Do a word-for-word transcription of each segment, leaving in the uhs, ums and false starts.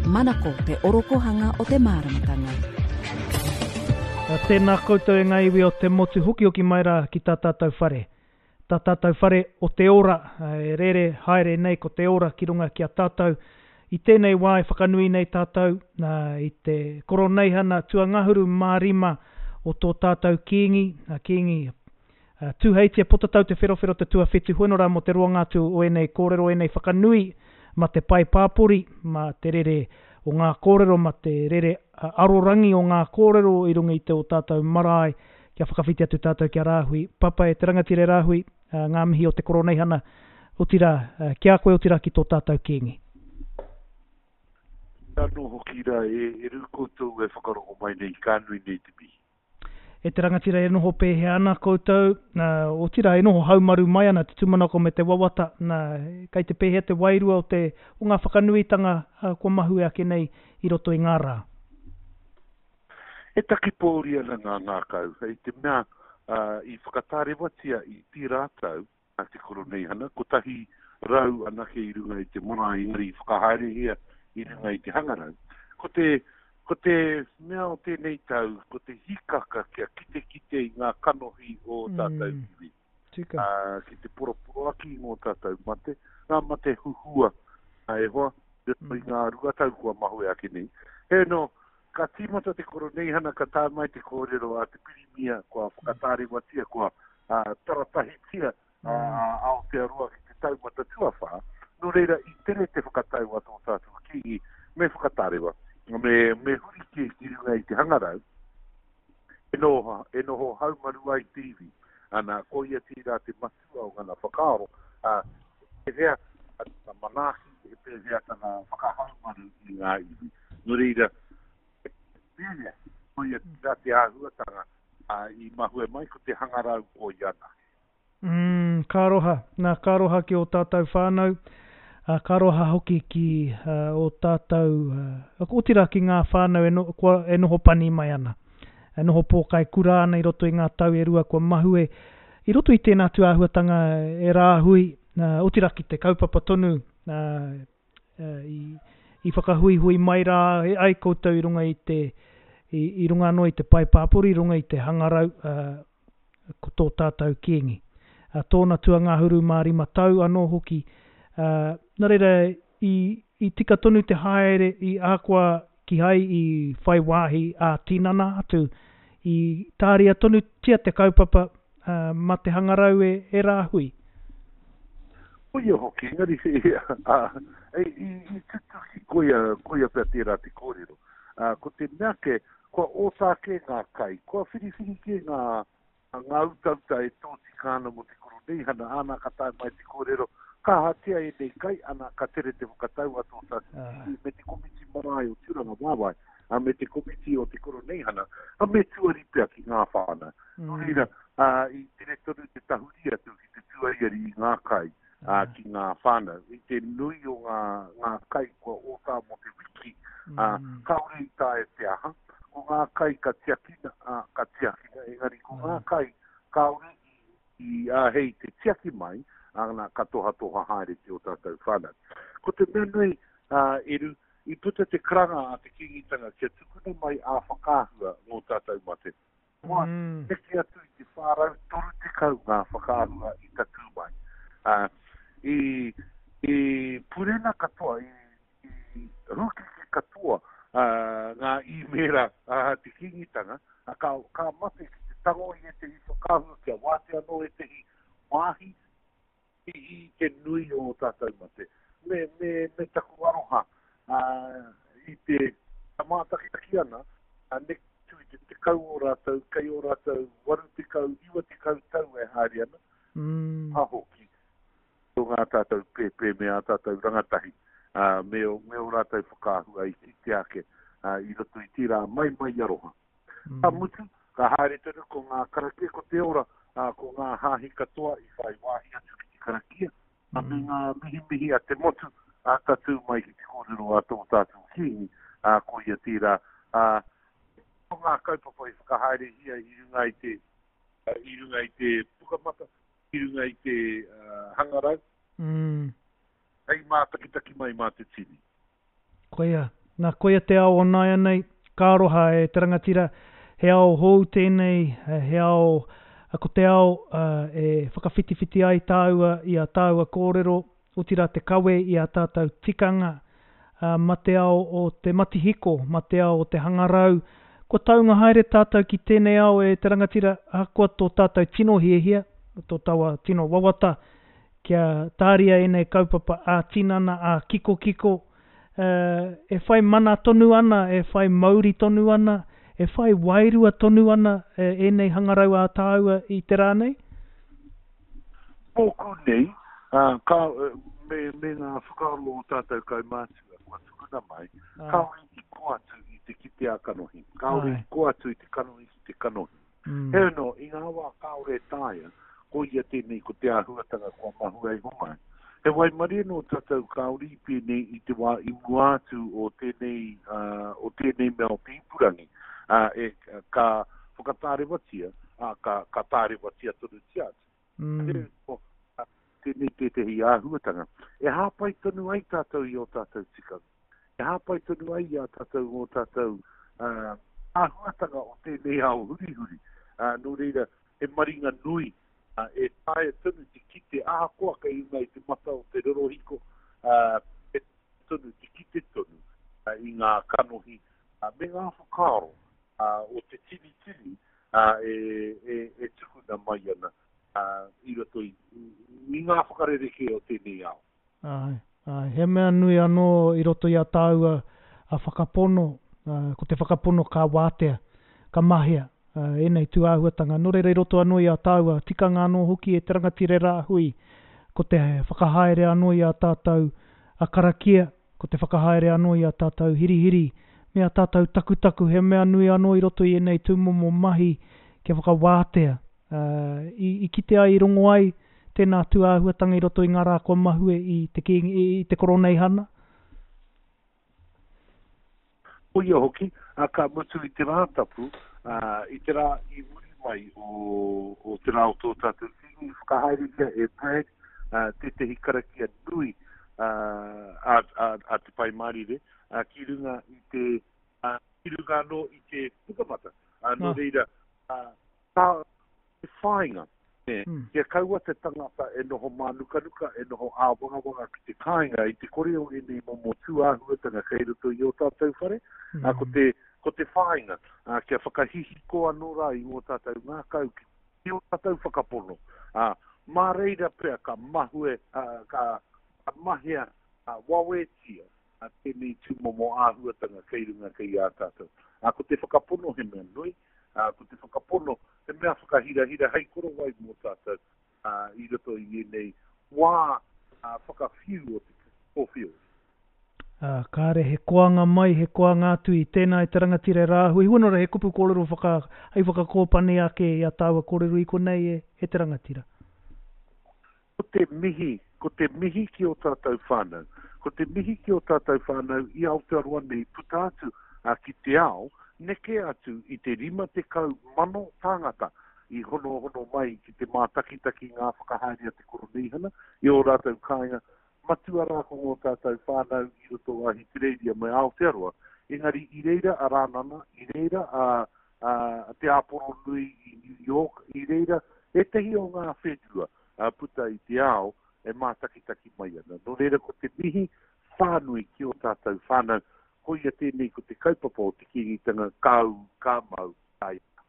Manako te orokohanga o te māramatanga. Tēnā koutou e ngā iwi o te motu hokihoki mai rā ki tā tātou whare. Tā tātou whare o te ora, e rere haere nei ko te ora ki runga ki a tātou. I tēnei wā e whakanui nei tātou i te koroneihana tuangahuru mā rima o tō tātou Kīngi, Kīngi Tūheitia Potatau Te Wherowhero te tuawhitu, hoeno rā mō te roanga atu o ēnei kōrero, ēnei whakanui ma te pae pāpori, ma te rere o ngā kōrero, ma te rere arorangi o ngā kōrero i runga i te o tātou marae, kia whakawhiti atu tātou ki a Rāhui. Papa e te rangatira e Rāhui, ngā mihi o te koroneihana, otirā, ki a koe otirā ki tō tātou Kīngi. Anō hoki rā e, e rū koutou e whakarongo mai nei, ka nui nei te mihi. E te rangatira e noho pēhea ana koutou, otirā e noho haumaru mai ana te tūmanako me te wawata, nā, kei te pēhea te wairua o te o ngā whakanuitanga kua mahue ake nei i roto i ngā rā. E taki pōuri ana ngā ngākau, hei te mea uh, i whakatārewatia i tērā tau a te koroneihana, kotahi rau anake i runga i te marae, engari i whakahaerehia i runga i te hangarau. Ko te Ko te mea o tēnei tau, ko te hikaka kia kitekite i ngā kanohi o tātou mm, iwi. Tika. Uh, ki te poroporoaki i ngō tātou mate, ngā mate huhua, e hoa, mm. i ngā rua tau kua mahue ake nei. He no, ka tīmata te koroneihana, ka tae mai te kōrero a te pirimia, kua whakatārewatia, kua uh, taratahitia mm. uh, Aotearoa ki te taumata tuawhā. Nō reira, i tere te whakatau a tō tātou Kīngi, me whakatārewa. Me, me huri kē ki runga i te hangarau, e noho, e noho haumaru ai te iwi. Ana, ko ia tērā te matua o ngana whakaaro, a, he pēhea tana manaaki, he pēhea tana whakahaumaru i ngā iwi. Nō reira, he pēhea, ko ia tērā te āhuatanga a, i mahue mai ko te hangarau ko ia anake. Mm, ka aroha. Nā, ka aroha ki ō tātou whānau. Uh, ka aroha hoki ki uh, o tātou, uh, otirā ki ngā whānau e, no, kua, e noho pani mai ana, e noho pōkai kura ana i roto i ngā tau e rua kua mahue, i roto i tēnā tūāhuatanga e rāhui, uh, otirā ki te kaupapa tonu uh, uh, i, i whakahuihui mai rā e ai koutou i runga i te, i, i runga anō i te pae pāpori, i runga i te hangarau, uh, ko tō tātou Kīngi. Uh, tōna tuangahuru mā rima tau anō hoki, uh, nā reira, i, i tika tonu te haere i ahakoa kihai i whai wāhi ā-tinana atu, i tāria tonutia te kaupapa uh, ma te hangarau e, e rāhui. Koia hoki, engari, uh, i, i, i tutuki, koia, koia pea tērā te kōrero. Uh, ko te mea ke, kua ōtā kē ngā kai, kua whiriwhiri kē ngā, ngā utauta e tōtika ana mō te koroneihana, ana ka tae mai te kōrero, ka ahatia ēnei kai, ana ka tere te whakatau a tō tātou iwi, me te komiti marae o Tūranga Waewae, a me te komiti o te koroneihana, a me tuari pea ki ngā whānau. Mm. Nō reira, uh, i tere tonu te tahuri atu ki te tuariari i ngā kai, uh, ki ngā whānau. I te nui o ngā, ngā kai kua ōtā mō te wiki, uh, kāore i taea te aha. Ko ngā kai ka tiakina, uh, ka tiakina, engari ko ngā kai kāore i, i āhei te tiaki mai, ana ka tohatoha haere ki o tātou whānau. Ko te mea nui, uh, Eru, i puta te karanga a te Kīngitanga kia tukuna mai ā whakaahua ngō tātou mate. Kua mm. neke atu i te whā rau toru tekau ngā whakaahua i tatū mai. Uh, i, i purena katoa, i, i rūkeke katoa uh, ngā īmēra uh, te Kīngitanga, uh, ka, ka mate ki te tango i ētehi whakaahua, kia wātea anō ētehi wāhi i, i te nui o tātou mate. Me, me, me taku aroha uh, i te mātakitaki ana, uh, neke atu i te tekau o rātou, kei o rātou waru tekau, iwa tekau tau e haere ana, mm. ha hoki, o ngā tātou pēpē me ā tātou rangatahi, uh, me, o, me o rātou whakaahua i kite ake uh, i roto i tērā mai mai aroha. Mm. Ka mutu, ka haere tonu ko ngā karakia, ko te ora, uh, ko ngā hāhi katoa i whai wāhi atu ki te karakia, mm. me ngā mihimihi a te motu, a tatū mai ki te kōrero a tō tātou Kīngi, uh, ko ia tērā. Uh, ko ngā kaupapa i whakahaerehia i runga i te, uh, i runga i te pukamata, i runga i te uh, hangarau, mm. hei mātakitaki mai mā te tini. Koia, Nā, koia te ao o nāianei, ka aroha e te rangatira, he ao hou tēnei, he ao, ko te ao e whakawhitiwhiti ai tāua i a tāua kōrero, otirā te kawe i a tātou tikanga, ma te ao o te matihiko, ma te ao o te hangarau, kua taunga haere tātou ki tēnei ao e te rangatira, ahakoa tō tātou tino hiahia, tō taua tino wawata, kia tāria ēnei kaupapa ā-tinana, ā-kikokiko, e whai mana tonu ana, e whai mauri tonu ana, e whai wairua tonu ana ēnei hangarau ā-tāua i te rā nei? Mōku nei, ka, me, me ngā whakaaro o tātou kaumātua kua tukuna mai, kāore i kō atu i te kite a kanohi, kāore i kō atu i te kanohi ki te kanohi. Mm. Heoi anō, i ngā wā kāore e taea, ko ia tēnei ko te āhuatanga kua mahue iho mai. He waimarie nō tātou kāore i pēnei i te wā i mua atu o tēnei, uh, o tēnei mea o te ipurangi, uh, e, ka whakatārewatia, uh, ka, ka tārewatia tonutia atu. Mm. Heoi anō, tēnei tētehi āhuatanga. E hāpai tonu ai tātou i ō tātou tikanga. E hāpai tonu ai i a tātou ngō tātou uh, āhuatanga o tēnei ao hurihuri. Uh, nō reira, he maringa nui uh, e taea tonu te kite ahakoa kei runga i te mata o te rorohiko, uh, e tonu te kite tonu uh, i ngā kanohi uh, me ngā whakaaro uh, o te tini tini uh, e, e, e tukuna mai ana uh, i roto i, i ngā whakarerekē o tēnei ao. Ai, ai, he mea nui anō i roto i a tāua a whakapono, uh, ko te whakapono ka wātea, ka mahea, uh, ēnei tūāhuatanga. Nō reira i roto anō i a tāua, tikanga anō hoki e te rangatira rāhui, ko te whakahaere anō i a tātou a karakia, ko te whakahaere anō i a tātou hirihiri, me a tātou takutaku, he mea nui anō i roto i ēnei tūmomo mahi kia whakawātea. Uh, i, i kite ai, i rongo ai tēnā tūāhuatanga i roto i ngā rā kua mahue i te, kīngi, i te koroneihana? Koia hoki, a, ka mutu i te rā tapu, uh, i te rā i muri mai o, o te rā o tō tātou kīngi, whakahaerehia e Brad, uh, tētehi karakia nui uh, a, a, a te Pai Mārire, uh, ki runga i te, uh, ki runga anō i te pukamata. Uh, nō reira, uh, tā te whāinga, ne, mm. kia kaua te tangata e noho mānukanuka, e noho āwangawanga ki te kāinga, i te kore o ēnei momo tūāhuatanga kei roto i ō tātou whare, mm. uh, ko te, ko te whāinga, uh, kia whakahihiko anō rā i ngō tātou ngākau, ki ō tātou whakapono. Uh, mā reira pea ka mahue, uh, ka, ka mahea uh, wawetia uh, tēnei tūmomo āhuatanga kei runga kei ā tātou. Uh, ko te whakapono he mea nui, uh, ko te whakapono he mea whakahirahira hei korowai mō tātou uh, i roto i ēnei wā uh, whakawhiu o te kōwhio. Uh, kāre he koanga mai, he koanga atu i tēnā i te rangatira rāhui. Hua nora he kupu kōrero whaka, hei whakakōpani ake i a tāua kōrero i konei e, e te rangatira. Ko te mihi, ko te mihi ki o tātou whānau. Ko te mihi ki o tātou whānau i Aotearoa nei puta atu uh, ki te ao, neke atu i te rima tekau mano tāngata i honohono mai ki te mātakitaki ngā whakahaere a te koroneihana i ō rātou kāinga, matua rā ko ngō tātou whānau i roto a Ahitereiria me Aotearoa. Engari i reira a Rānana, i reira a, a, a Te Āporo Nui i New York, i reira ētehi o ngā whenua a, puta i te ao e mātakitaki mai ana. Nō reira ko te mihi whānui ki o tātou whānau, koia tēnei ko te kaupapa o te Kīngitanga ka ū, ka mau, ka ea.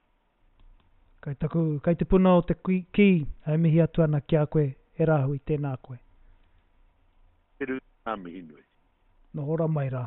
Kai taku, kai te puna o te kī, e mihi atu ana ki a koe, e Rāhui, tēnā koe. Te rū, ngā mihi nui. Noho ora mai rā.